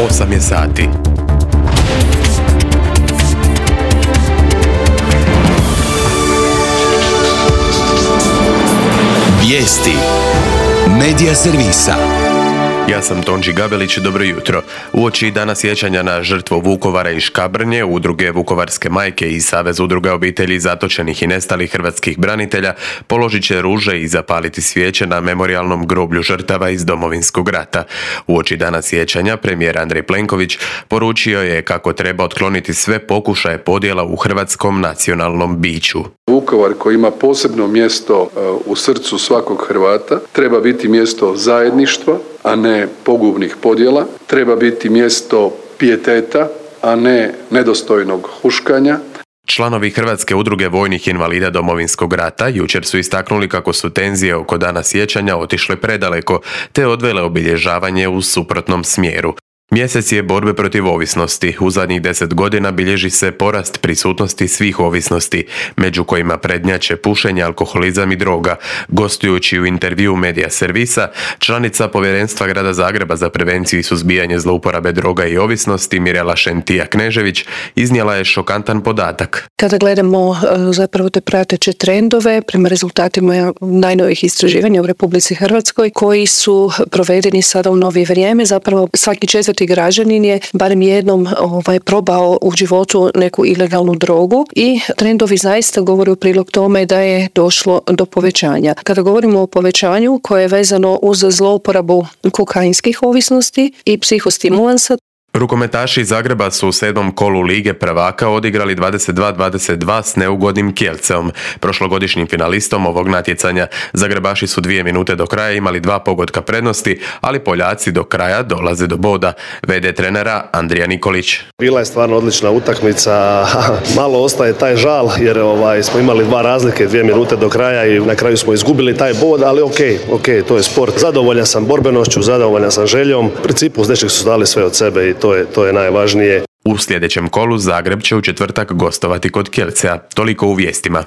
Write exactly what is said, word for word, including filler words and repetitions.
osam je sati. Vijesti Medija servisa. Ja sam Tonči Gabelić, dobro jutro. Uoči dana sjećanja na žrtvu Vukovara i Škabrnje, udruge Vukovarske majke i Savez udruga obitelji zatočenih i nestalih hrvatskih branitelja položit će ruže i zapaliti svijeće na memorijalnom groblju žrtava iz Domovinskog rata. Uoči dana sjećanja premijer Andrej Plenković poručio je kako treba otkloniti sve pokušaje podjela u hrvatskom nacionalnom biću. Vukovar, koji ima posebno mjesto u srcu svakog Hrvata, treba biti mjesto zajedništva, a ne pogubnih podjela. Treba biti mjesto pijeteta, a ne nedostojnog huškanja. Članovi Hrvatske udruge vojnih invalida Domovinskog rata jučer su istaknuli kako su tenzije oko dana sjećanja otišle predaleko, te odvele obilježavanje u suprotnom smjeru. Mjesec je borbe protiv ovisnosti. U zadnjih deset godina bilježi se porast prisutnosti svih ovisnosti, među kojima prednjače pušenje, alkoholizam i droga. Gostujući u intervjuu Medija servisa, članica Povjerenstva Grada Zagreba za prevenciju i suzbijanje zlouporabe droga i ovisnosti Mirela Šentija-Knežević iznijela je šokantan podatak. Kada gledamo zapravo te prateće trendove prema rezultatima najnovijih istraživanja u Republici Hrvatskoj koji su provedeni sada u novije vrijeme, zapravo svaki četvrti građanin je barem jednom ovaj, probao u životu neku ilegalnu drogu i trendovi zaista govore u prilog tome da je došlo do povećanja. Kada govorimo o povećanju koje je vezano uz zlouporabu kokainskih ovisnosti i psihostimulansa, rukometaši iz Zagreba su u sedmom kolu Lige prvaka odigrali dvadeset dva dvadeset dva s neugodnim Kielceom, prošlogodišnjim finalistom ovog natjecanja. Zagrebaši su dvije minute do kraja imali dva pogotka prednosti, ali Poljaci do kraja dolaze do boda. V D trenera Andrija Nikolić. Bila je stvarno odlična utakmica, malo ostaje taj žal jer ovaj, smo imali dva razlike, dvije minute do kraja i na kraju smo izgubili taj bod, ali ok, ok, to je sport. Zadovoljan sam borbenošću, zadovoljan sam željom. U principu uz dečeg su dali sve od sebe i to je, to je najvažnije. U sljedećem kolu Zagreb će u četvrtak gostovati kod Kielcea. Toliko u vijestima.